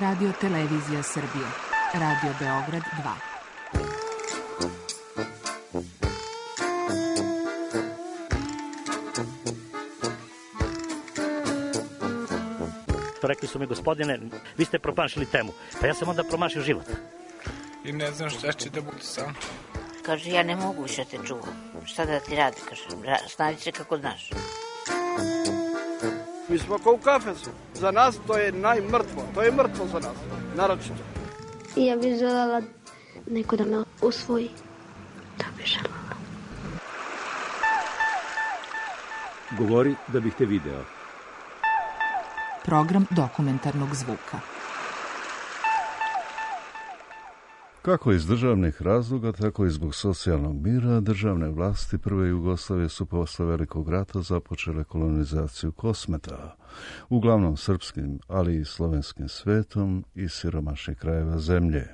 Radio Televizija Srbije. Radio Beograd 2. Rekli su mi, gospodine, vi ste promašili temu. Pa ja sam onda promašio život. I ne znam šta će da bude sam. Kaže, ja ne mogu više te čuvam. Šta da ti radi, kaže, snađi se kako znaš. Mi smo kao u kafesu. Za nas to je najmrtvo. To je mrtvo za nas, naročito. I ja bih želela neko da me usvoji. Da bih želela. Govori da bih te video. Program dokumentarnog zvuka. Kako iz državnih razloga, tako i zbog socijalnog mira, državne vlasti prve Jugoslavije su posle Velikog rata započele kolonizaciju Kosmeta, uglavnom srpskim, ali i slovenskim svetom i siromašnih krajeva zemlje.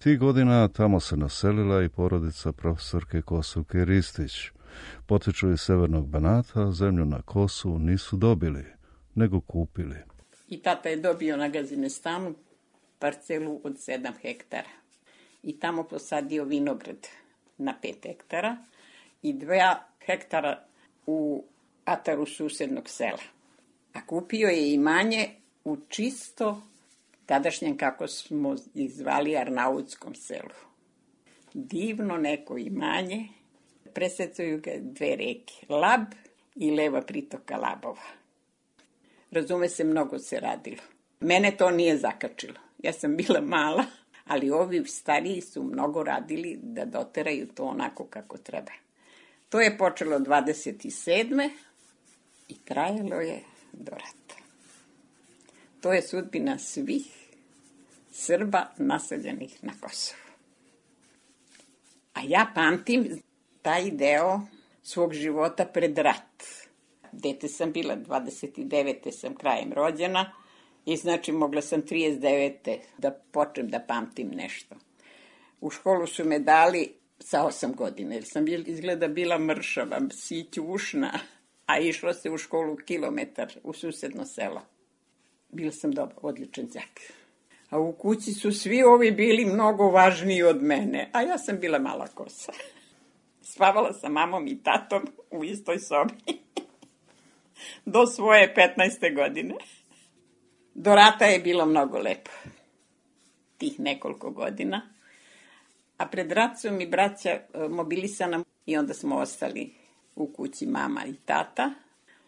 Tih godina tamo se naselila i porodica profesorke Kosovke Ristić. Potiču iz severnog Banata, zemlju na Kosovu nisu dobili, nego kupili. I tata je dobio na Gazinestanu parcelu od 7 hektara. I tamo posadio vinograd na 5 hektara i 2 hektara u ataru susednog sela. A kupio je imanje u čisto tadašnjem, kako smo izvali, Arnautskom selu. Divno neko imanje, presecaju ga 2 reke, Lab i leva pritoka Labova. Razume se, mnogo se radilo. Mene to nije zakačilo. Ja sam bila mala, ali ovi stariji su mnogo radili da doteraju to onako kako treba. To je počelo 27. i trajalo je do rata. To je sudbina svih Srba naseljenih na Kosovu. A ja pamtim taj deo svog života pred rat. Dete sam bila, 29. sam krajem rođena, i znači mogla sam 39. da počnem da pamtim nešto. U školu su me dali sa 8 godina, jer sam izgleda bila mršava, sićušna, a išlo se u školu kilometar u susedno selo. Bila sam odličan đak. A u kući su svi ovi bili mnogo važniji od mene, a ja sam bila mala kosa. Spavala sa mamom i tatom u istoj sobi do svoje 15. godine. Do rata je bilo mnogo lepo, tih nekoliko godina, a pred rat su mi braća mobilisana i onda smo ostali u kući mama i tata.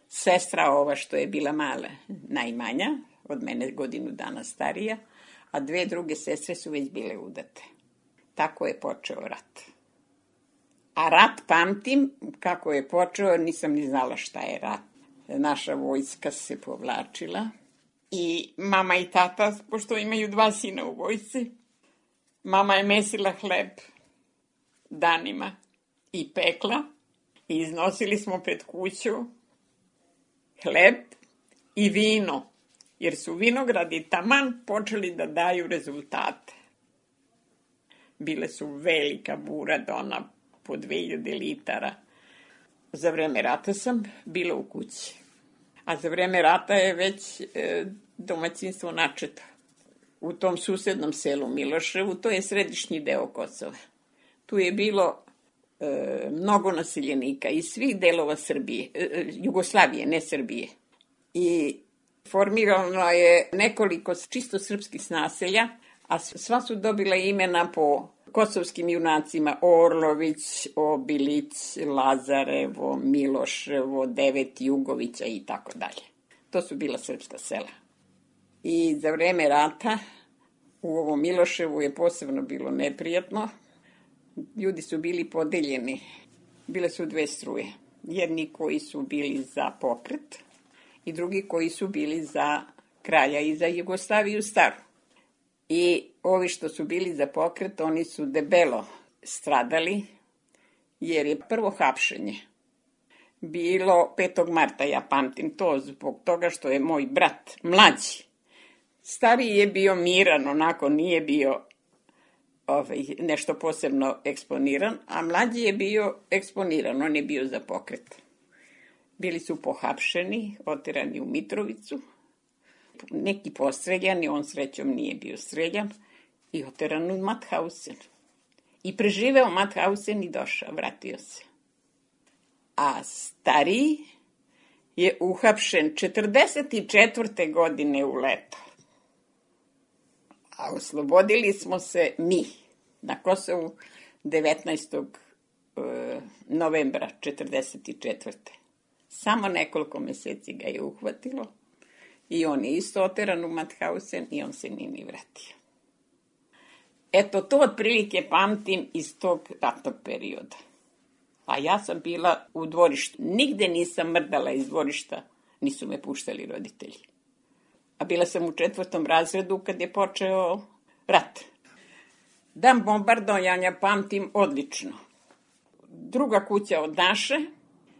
Sestra ova što je bila mala, najmanja, od mene godinu dana starija, a 2 druge sestre su već bile udate. Tako je počeo rat. A rat pamtim, kako je počeo, nisam ni znala šta je rat. Naša vojska se povlačila. I mama i tata, pošto imaju 2 sina u vojsci, mama je mesila hleb danima i pekla i iznosili smo pred kuću hleb i vino, jer su vinogradi taman počeli da daju rezultate. Bile su velika bura, dona po 2000 litara. Za vreme rata sam bila u kući. A za vreme rata je već domaćinstvo načeto. U tom susednom selu Miloševu, to je središnji deo Kosova. Tu je bilo mnogo naseljenika iz svih delova Srbije, Jugoslavije, ne Srbije. I formirano je nekoliko čisto srpskih naselja, a sva su dobila imena po kosovskim junacima: Orlović, Obilić, Lazarevo, Miloševo, 9 Jugovića i tako dalje. To su bila srpska sela. I za vreme rata u ovom Miloševu je posebno bilo neprijatno. Ljudi su bili podeljeni. Bile su 2 struje. Jedni koji su bili za pokret i drugi koji su bili za kralja i za Jugoslaviju staru. I ovi što su bili za pokret, oni su debelo stradali, jer je prvo hapšenje bilo 5. marta, ja pamtim to, zbog toga što je moj brat mlađi. Stariji je bio miran, onako nije bio nešto posebno eksponiran, a mlađi je bio eksponiran, on je bio za pokret. Bili su pohapšeni, oterani u Mitrovicu, Neki postreljani, on srećom nije bio streljan, i oteran u Mauthausen. I preživeo Mauthausen i došao, vratio se. A stariji je uhapšen 44. godine u leto. A oslobodili smo se mi na Kosovu 19. novembra 44. Samo nekoliko meseci ga je uhvatilo i on je isto oteran u Mauthausen i on se nije ni vratio. Eto, to otprilike pamtim iz tog ratnog perioda. A ja sam bila u dvorištu. Nigde nisam mrdala iz dvorišta, nisu me puštali roditelji. A bila sam u 4. razredu kad je počeo rat. Dan bombardovanja pamtim odlično. Druga kuća od naše,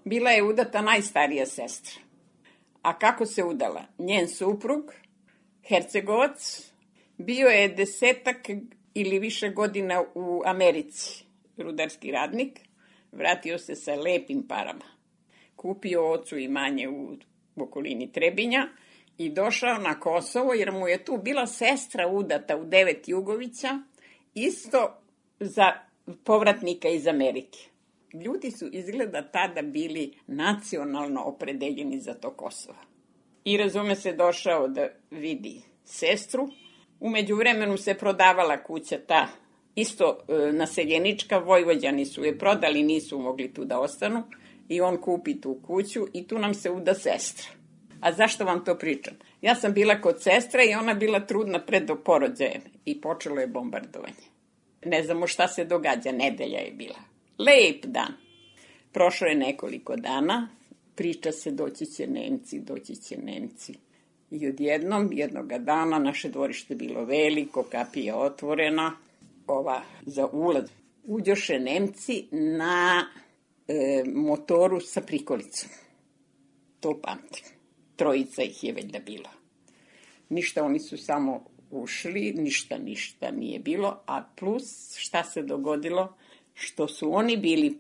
bila je udata najstarija sestra. A kako se udala? Njen suprug, Hercegovac, bio je 10 ili više godina u Americi, rudarski radnik, vratio se sa lepim parama. Kupio ocu imanje u okolini Trebinja i došao na Kosovo, jer mu je tu bila sestra udata u 9 Jugovića, isto za povratnika iz Amerike. Ljudi su izgleda tada bili nacionalno opredeljeni za to Kosovo. I razume se, došao da vidi sestru. U međuvremenu se prodavala kuća ta, isto naseljenička, Vojvođani su je prodali, nisu mogli tu da ostanu. I on kupi tu kuću i tu nam se uda sestra. A zašto vam to pričam? Ja sam bila kod sestre i ona bila trudna pred porođajem i počelo je bombardovanje. Ne znamo šta se događa, nedelja je bila. Lep dan. Prošlo je nekoliko dana, priča se doći će Nemci. I odjednom, jednoga dana, naše dvorište bilo veliko, kapija otvorena, za ulaz. Uđoše Nemci na motoru sa prikolicom. To pamtim. 3 ih je već da bilo. Ništa, oni su samo ušli, ništa nije bilo, a plus šta se dogodilo, što su oni bili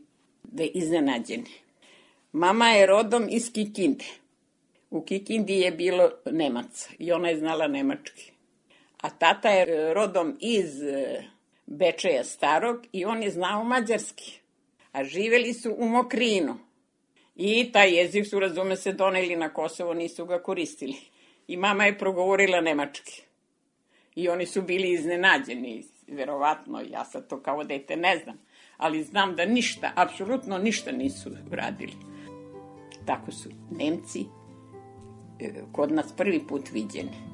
iznenađeni. Mama je rodom iz Kikinde. U Kikindi je bilo Nemaca i ona je znala nemački. A tata je rodom iz Bečeja starog i on je znao mađarski. A živeli su u Mokrinu. I taj jezik su, razume se, doneli na Kosovo, nisu ga koristili. I mama je progovorila nemački. I oni su bili iznenađeni, verovatno, ja sad to kao dete ne znam. Ali znam da ništa, apsolutno ništa nisu radili. Tako su Nemci kod nas prvi put viđeni.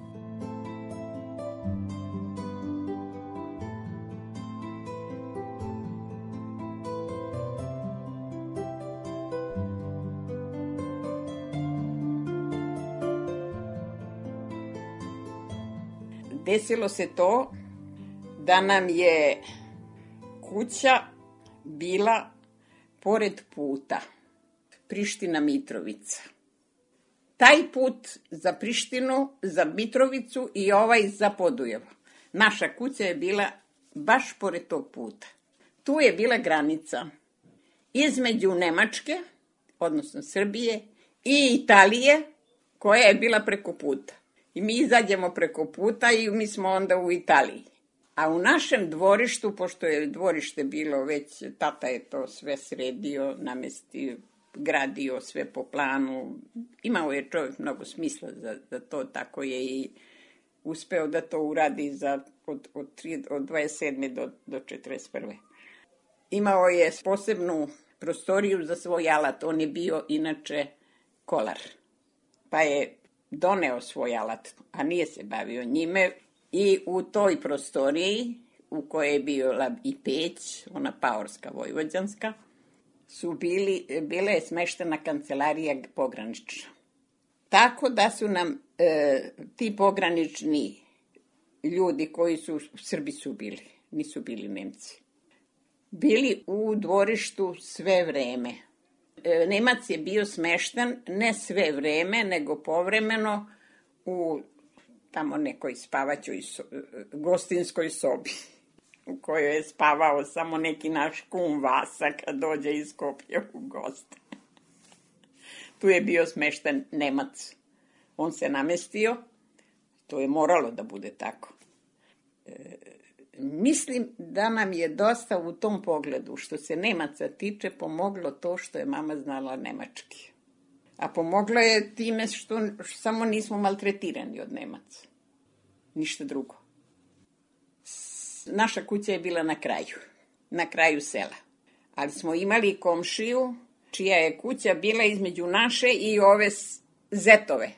Desilo se to da nam je kuća bila pored puta Priština-Mitrovica. Taj put za Prištinu, za Mitrovicu i ovaj za Podujevo. Naša kuća je bila baš pored tog puta. Tu je bila granica između Nemačke, odnosno Srbije, i Italije, koja je bila preko puta. I mi izađemo preko puta i mi smo onda u Italiji. A u našem dvorištu, pošto je dvorište bilo već, tata je to sve sredio, namestio, gradio sve po planu. Imao je čovjek mnogo smisla za to, tako je i uspeo da to uradi od 27. do 41. Imao je posebnu prostoriju za svoj alat. On je bio inače kolar. Pa je doneo svoj alat, a nije se bavio njime. I u toj prostoriji, u kojoj je bila i peć, ona paorska, vojvođanska, bila je smeštena kancelarija pogranična. Tako da su nam ti pogranični ljudi koji su, Srbi su bili, nisu bili Nemci, bili u dvorištu sve vreme. Nemac je bio smešten ne sve vreme, nego povremeno u tamo nekoj spavaćoj gostinskoj sobi, u kojoj je spavao samo neki naš kum Vasa kad dođe iz Skoplja u goste. Tu je bio smešten Nemac. On se namestio To je moralo da bude tako. Mislim da nam je dosta u tom pogledu, što se Nemaca tiče, pomoglo to što je mama znala nemački. A pomoglo je time što samo nismo maltretirani od Nemaca. Ništa drugo. Naša kuća je bila na kraju sela. Ali smo imali komšiju, čija je kuća bila između naše i ove Zetove.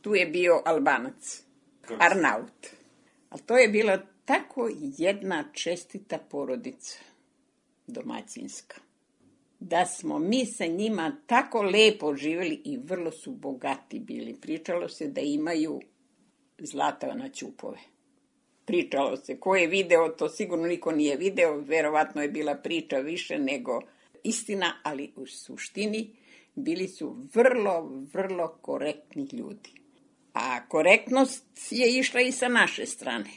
Tu je bio Albanac, Arnaut. Ali to je bila tako jedna čestita porodica, domaćinska. Da smo mi sa njima tako lepo živjeli i vrlo su bogati bili. Pričalo se da imaju zlata na ćupove. Pričalo se. Ko je video, to sigurno niko nije video. Verovatno je bila priča više nego istina, ali u suštini bili su vrlo, vrlo korektni ljudi. A korektnost je išla i sa naše strane.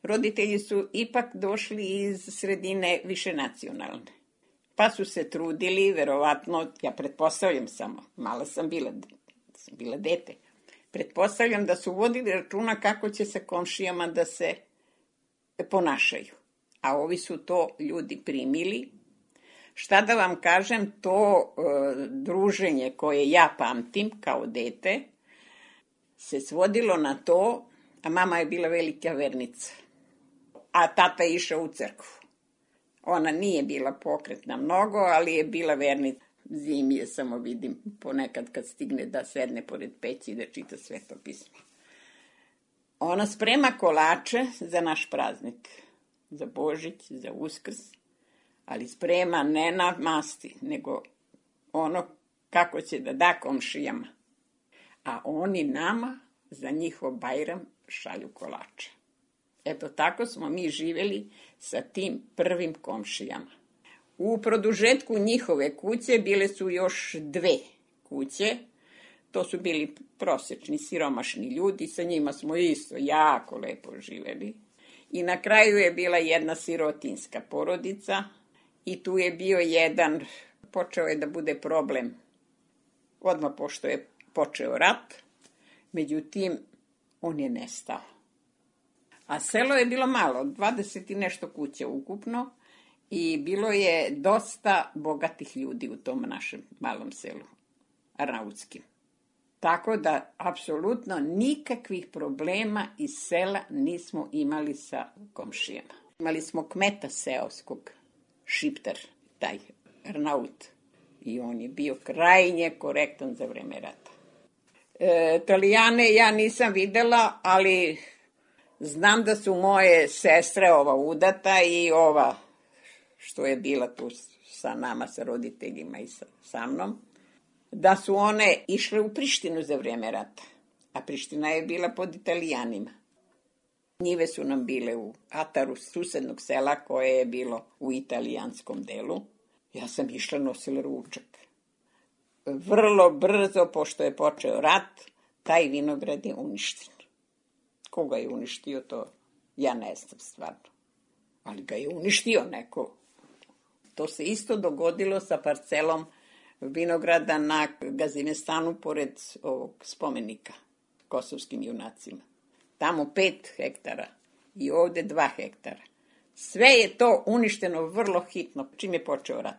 Roditelji su ipak došli iz sredine višenacionalne. Pa su se trudili, verovatno, ja pretpostavljam samo, mala sam bila dete, pretpostavljam da su vodili računa kako će se komšijama da se ponašaju. A ovi su to ljudi primili. Šta da vam kažem, to druženje koje ja pamtim kao dete se svodilo na to, a mama je bila velika vernica, a tata je išao u crkvu. Ona nije bila pokretna mnogo, ali je bila vernica. Zimi je samo vidim ponekad kad stigne da sedne pored peći i da čita Sveto pismo. Ona sprema kolače za naš praznik, za Božić, za Uskrs, ali sprema ne na masti, nego ono kako će da da komšijama. A oni nama za njihov Bajram šalju kolače. Eto, tako smo mi živjeli sa tim prvim komšijama. U produžetku njihove kuće bile su još 2 kuće. To su bili prosječni, siromašni ljudi, sa njima smo isto jako lepo živjeli. I na kraju je bila jedna sirotinska porodica i tu je bio jedan, počeo je da bude problem odmah pošto je počeo rat, međutim, on je nestao. A selo je bilo malo, 20 i nešto kuća ukupno i bilo je dosta bogatih ljudi u tom našem malom selu, arnautskim. Tako da, apsolutno nikakvih problema iz sela nismo imali sa komšijama. Imali smo kmeta seoskog, Šiptar, taj Arnaut, i on je bio krajnje korektan za vreme rata. Italijane ja nisam videla, ali znam da su moje sestre, ova udata i ova što je bila tu sa nama, sa roditeljima i sa mnom, da su one išle u Prištinu za vreme rata, a Priština je bila pod Italijanima. Njive su nam bile u ataru susednog sela koje je bilo u italijanskom delu. Ja sam išla, nosila ručak. Vrlo brzo, pošto je počeo rat, taj vinograd je uništen. Koga je uništio, to ja ne znam stvarno. Ali ga je uništio neko. To se isto dogodilo sa parcelom vinograda na Gazimestanu pored ovog spomenika kosovskim junacima. Tamo 5 hektara i ovde 2 hektara. Sve je to uništeno vrlo hitno, čim je počeo rat.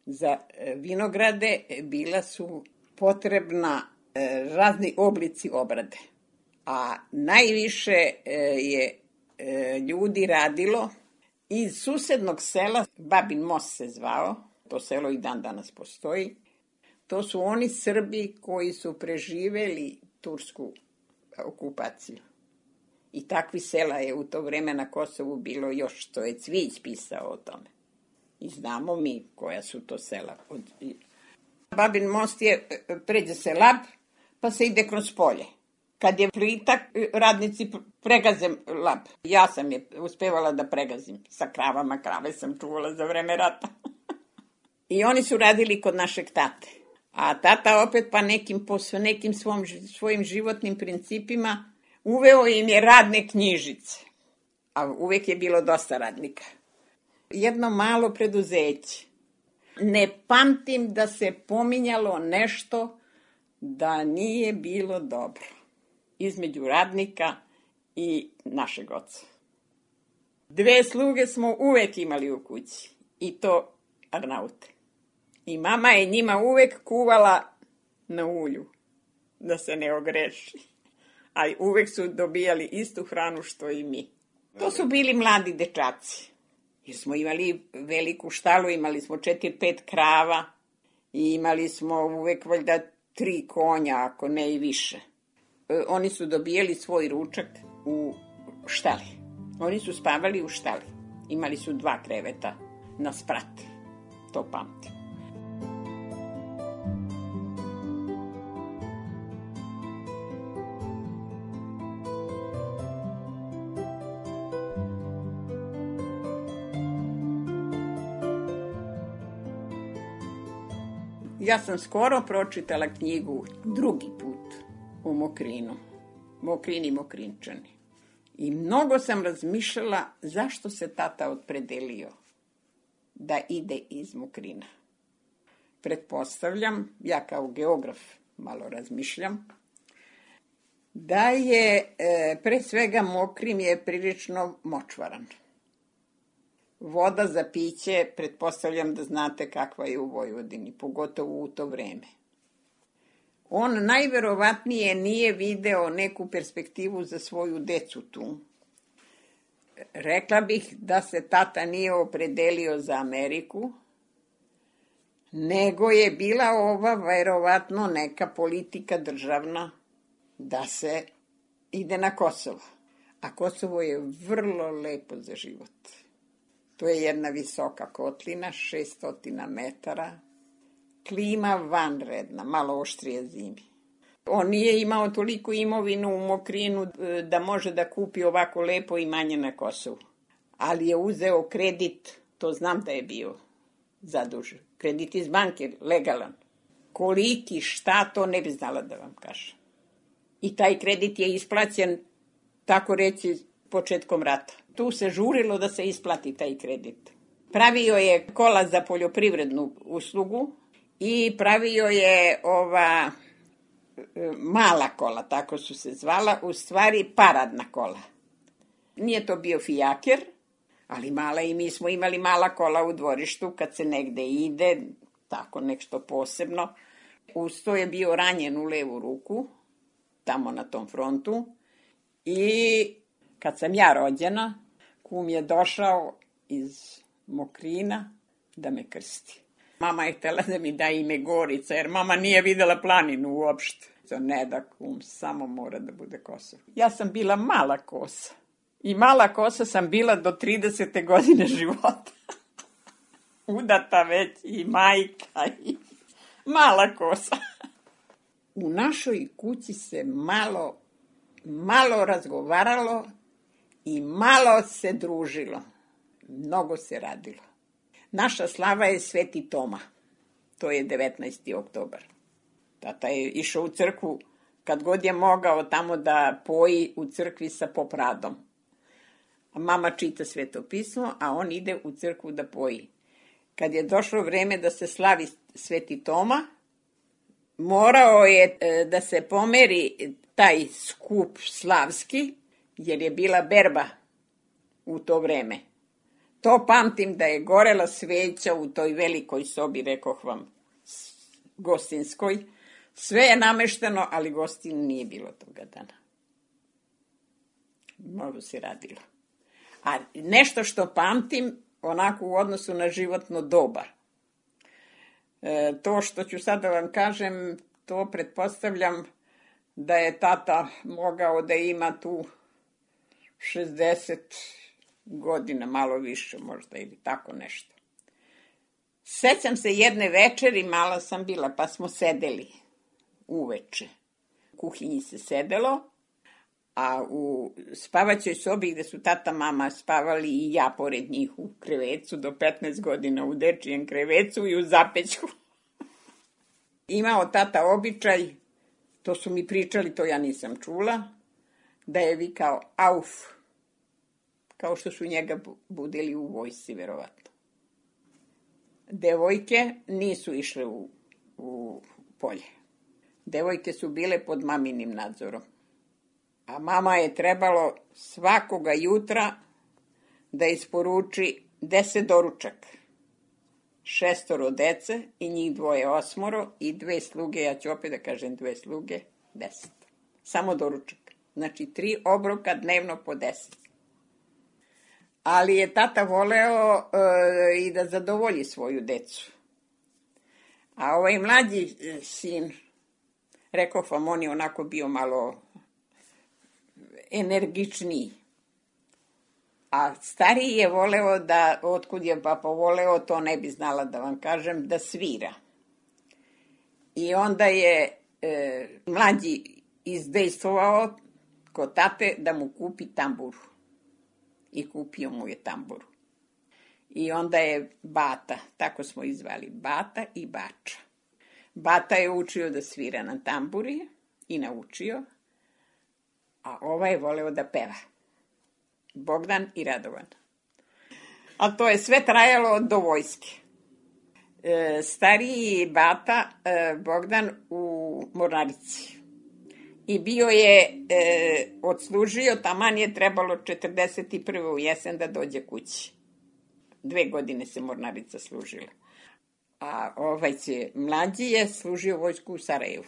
Za vinograde bila su potrebna razni oblici obrade. A najviše je ljudi radilo iz susednog sela, Babin Most se zvao, to selo i dan danas postoji. To su oni Srbi koji su preživeli tursku okupaciju. I takvi sela je u to vreme na Kosovu bilo još, što je Cvijić pisao o tome. I znamo mi koja su to sela. Babin Most je, pređe se Lab, pa se ide kroz polje. Kad je plitak, radnici pregaze Lab. Ja sam je uspevala da pregazim sa kravama, krave sam čuvala za vreme rata. I oni su radili kod našeg tate. A tata opet pa nekim svojim životnim principima uveo im je radne knjižice. A uvek je bilo dosta radnika. Jedno malo preduzeće. Ne pamtim da se pominjalo nešto da nije bilo dobro. između radnika i našeg oca. 2 sluge smo uvek imali u kući, i to Arnaute. I mama je njima uvek kuvala na ulju, da se ne ogreši. Ali uvek su dobijali istu hranu što i mi. To su bili mladi dečaci. Jer smo imali veliku štalu, imali smo 4-5 krava i imali smo uvek valjda 3 konja, ako ne i više. Oni su dobijali svoj ručak u štali. Oni su spavali u štali. Imali su 2 kreveta na sprat. To pamtim. Ja sam skoro pročitala knjigu drugi put u Mokrinu. Mokrini, Mokrinčani. I mnogo sam razmišljala zašto se tata opredelio da ide iz Mokrina. Pretpostavljam, ja kao geograf malo razmišljam, da je pre svega Mokrin je prilično močvaran. Voda za piće, pretpostavljam da znate kakva je u Vojvodini, pogotovo u to vreme. On najverovatnije nije video neku perspektivu za svoju decu tu. Rekla bih da se tata nije opredelio za Ameriku, nego je bila ova verovatno neka politika državna da se ide na Kosovo. A Kosovo je vrlo lepo za život. To je jedna visoka kotlina, 600 metara, klima vanredna, malo oštrije zimi. On nije imao toliko imovinu u Mokrinu da može da kupi ovako lepo imanje na Kosovu. Ali je uzeo kredit, to znam da je bio zadužen. Kredit iz banke, legalan. Koliki, šta, to ne bi znala da vam kažem. I taj kredit je isplaćen, tako reći, početkom rata. Tu se žurilo da se isplati taj kredit. Pravio je kola za poljoprivrednu uslugu i pravio je mala kola, tako su se zvala, u stvari paradna kola. Nije to bio fijaker, ali mala, i mi smo imali mala kola u dvorištu kad se negde ide, tako nešto posebno. Uz to je bio ranjen u levu ruku, tamo na tom frontu, i kad sam ja rođena, kum je došao iz Mokrina da me krsti. Mama je htjela da mi da ime Gorica, jer mama nije videla planinu uopšte. Ne da kum, samo mora da bude Kosovo. Ja sam bila mala kosa. I mala kosa sam bila do 30. godine života. Udata već i majka i mala kosa. U našoj kući se malo razgovaralo i malo se družilo. Mnogo se radilo. Naša slava je Sveti Toma. To je 19. oktobar. Tata je išao u crkvu kad god je mogao tamo da poji u crkvi sa popradom. A mama čita Sveto pismo, a on ide u crkvu da poji. Kad je došlo vreme da se slavi Sveti Toma, morao je da se pomeri taj skup slavski, jer je bila berba u to vreme. To pamtim da je gorela sveća u toj velikoj sobi, rekoh vam, gostinskoj. Sve je namešteno, ali gostin nije bilo toga dana. Mnogo se radilo. A nešto što pamtim, onako u odnosu na životno doba. To što ću sad da vam kažem, to pretpostavljam da je tata mogao da ima tu 60 godina, malo više možda, ili tako nešto. Sećam se jedne večeri, mala sam bila, pa smo sedeli uveče. U kuhinji se sedelo, a u spavaćoj sobi gde su tata, mama spavali i ja pored njih u krevecu, do 15 godina u dečijem krevecu i u zapećku. Imao tata običaj, to su mi pričali, to ja nisam čula, da je vikao auf, kao što su njega budili u vojsci, verovatno. Devojke nisu išle u polje. Devojke su bile pod maminim nadzorom. A mama je trebalo svakoga jutra da isporuči 10 doručaka. 6 dece i njih 2 8 i 2 sluge, ja ću opet da kažem 2 sluge, 10. Samo doručak. Znači 3 obroka dnevno po 10. Ali je tata voleo i da zadovolji svoju decu. A ovaj mlađi sin, rekao vam, on je onako bio malo energičniji. A stariji je voleo da, otkud je papa voleo, to ne bi znala da vam kažem, da svira. I onda je mlađi izdejstvovao kod tate da mu kupi tamburu. I kupio mu je tamburu. I onda je Bata, tako smo izvali, Bata i Bača. Bata je učio da svira na tamburi i naučio, a ovaj je voleo da peva. Bogdan i Radovan. A to je sve trajalo do vojske. Stariji Bata, Bogdan, u Mornarici. I bio je, odslužio, taman je trebalo 41. u jesen da dođe kući. 2 godine se Mornarica služila. A mlađi je služio vojsku u Sarajevu.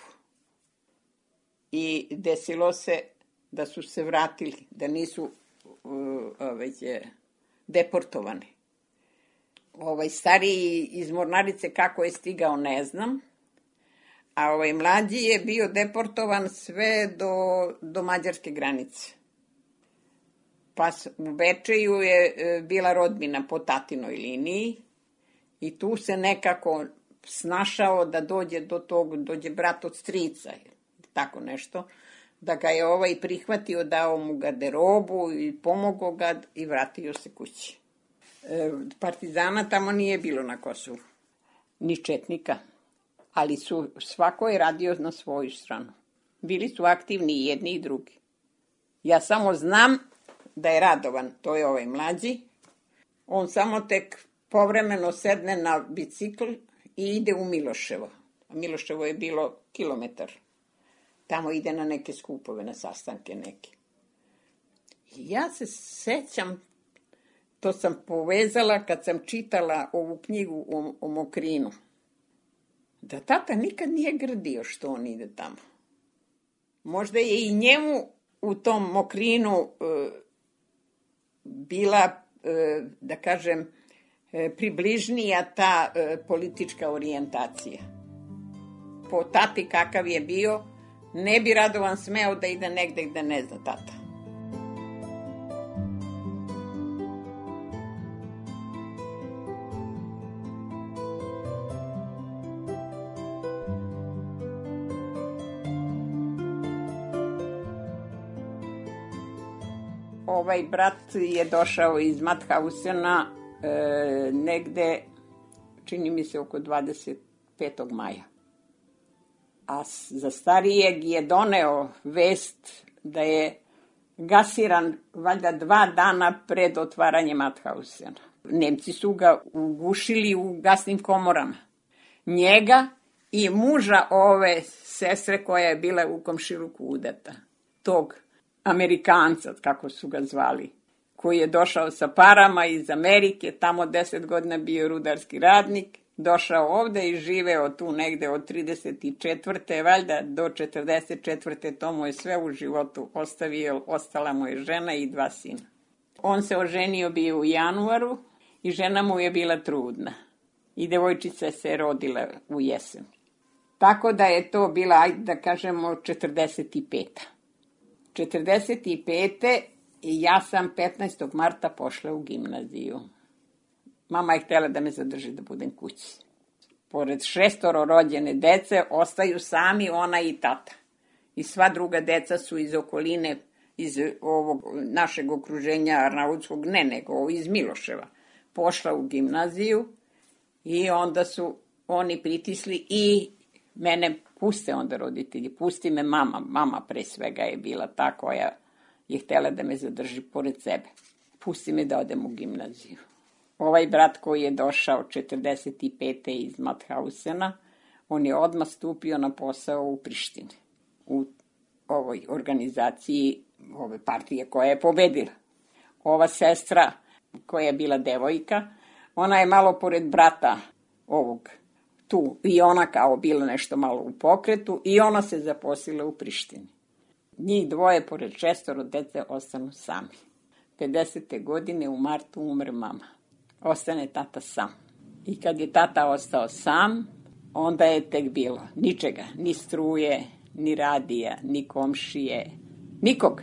I desilo se da su se vratili, da nisu deportovani. Stariji iz Mornarice kako je stigao ne znam, a mlađi je bio deportovan sve do mađarske granice. Pa u Bečeju je bila rodbina po tatinoj liniji i tu se nekako snašao da dođe do tog, dođe brat od strica, tako nešto, da ga je prihvatio, dao mu garderobu i pomogao ga i vratio se kući. Partizana tamo nije bilo na Kosovu, ni četnika, ali svako je radio na svoju stranu. Bili su aktivni i jedni i drugi. Ja samo znam da je Radovan, to je ovaj mlađi, on samo tek povremeno sedne na bicikl i ide u Miloševo. A Miloševo je bilo kilometar. Tamo ide na neke skupove, na sastanke neke. I ja se sećam, to sam povezala kad sam čitala ovu knjigu o Mokrinu, da tata nikad nije grdio što on ide tamo. Možda je i njemu u tom Mokrinu bila, da kažem, približnija ta politička orijentacija. Po tati kakav je bio, ne bi Radovan smeo da ide negde gde ne zna tata. Ovaj brat je došao iz Mathausena negde, čini mi se, oko 25. maja. A za starijeg je doneo vest da je gasiran valjda 2 dana pred otvaranjem Mathausena. Nemci su ga ugušili u gasnim komorama. Njega i muža ove sestre koja je bila u komšiluku udata. Tog Amerikanca, kako su ga zvali, koji je došao sa parama iz Amerike, tamo 10 godina bio rudarski radnik, došao ovde i živeo tu negde od 34. valjda do 44. To mu je sve u životu ostavio, ostala mu je žena i 2 sina. On se oženio bio u januaru i žena mu je bila trudna. I devojčica se rodila u jesen. Tako da je to bila, ajde da kažemo, 45. 45. i ja sam 15. marta pošla u gimnaziju. Mama je htjela da me zadrži da budem kući. Pored 6 rođene dece ostaju sami ona i tata. I sva druga deca su iz okoline, iz ovog našeg okruženja arnautskog, nego iz Miloševa. Pošla u gimnaziju i onda su oni pritisli i mene puste onda roditelji, pusti me mama. Mama pre svega je bila ta koja je htjela da me zadrži pored sebe. Pusti me da odem u gimnaziju. Ovaj brat koji je došao 45. iz Mathausena, on je odmah stupio na posao u Prištini, u ovoj organizaciji ove partije koja je pobedila. Ova sestra koja je bila devojka, ona je malo pored brata ovog tu i ona kao bila nešto malo u pokretu i ona se zaposlila u Prištini. Njih dvoje, pored 6 dece, ostanu sami. 50. godine u martu umre mama. Ostane tata sam. I kad je tata ostao sam, onda je tek bilo ničega. Ni struje, ni radija, ni komšije, nikog.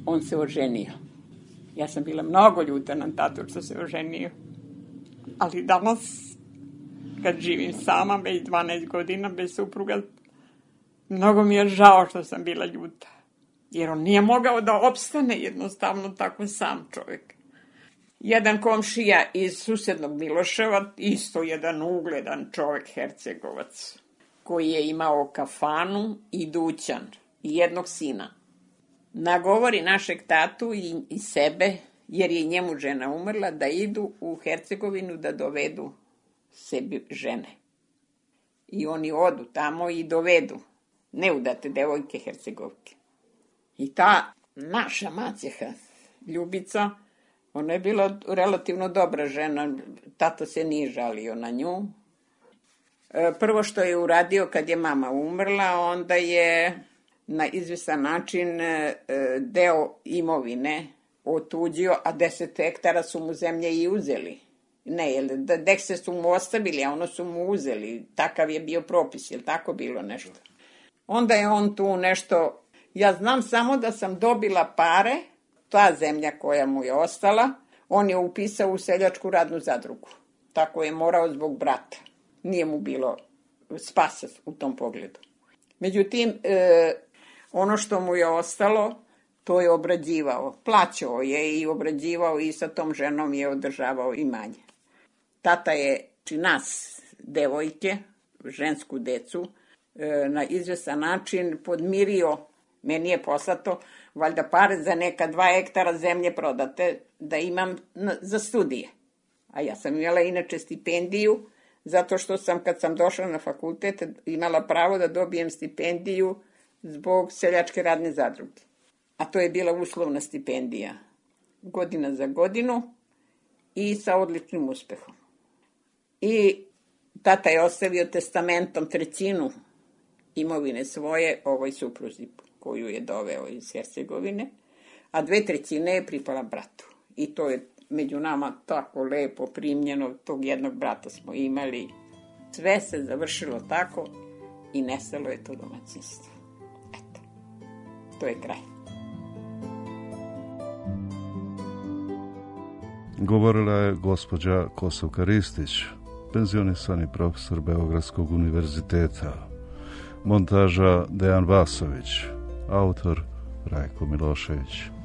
On se oženio. Ja sam bila mnogo ljuta na tatu što se oženio. Ali danas, kad živim sama, već 12 godina bez supruga, mnogo mi je žao što sam bila ljuta. Jer on nije mogao da opstane jednostavno tako sam čovjek. Jedan komšija iz susednog Miloševa, isto jedan ugledan čovjek, Hercegovac, koji je imao kafanu i dućan i jednog sina. Nagovori našeg tatu i sebe, jer je njemu žena umrla, da idu u Hercegovinu da dovedu sebi žene. I oni odu tamo i dovedu neudate devojke Hercegovke. I ta naša maćeha, Ljubica, ona je bila relativno dobra žena, tata se nije žalio na nju. Prvo što je uradio kad je mama umrla, onda je na izvestan način deo imovine otuđio, a 10 hektara su mu zemlje i uzeli. Ne, jer dekse su mu ostavili, a ono su mu uzeli. Takav je bio propis, je li tako bilo nešto? Onda je on tu nešto... Ja znam samo da sam dobila pare, ta zemlja koja mu je ostala, on je upisao u seljačku radnu zadrugu. Tako je morao zbog brata. Nije mu bilo spasa u tom pogledu. Međutim, ono što mu je ostalo, to je obrađivao. Plaćao je i obrađivao i sa tom ženom je održavao imanje. Tata je, nas, devojke, žensku decu, na izvestan način podmirio. Meni je poslato, valjda pare za neka 2 hektara zemlje prodate, da imam za studije. A ja sam imala inače stipendiju, zato što sam, kad sam došla na fakultet, imala pravo da dobijem stipendiju zbog seljačke radne zadruge. A to je bila uslovna stipendija. Godina za godinu i sa odličnim uspehom. I tata je ostavio testamentom 1/3 imovine svoje ovoj supruzi koju je doveo iz Hercegovine, a 2/3 je pripala bratu. I to je među nama tako lepo primljeno, tog jednog brata smo imali. Sve se završilo tako i nestalo je to domaćinstvo. Eto, to je kraj. Govorila je gospođa Kosovka Ristić, penzionisani profesor Beogradskog univerziteta. Montaža Dejan Vasović, autor Rajko Milošević.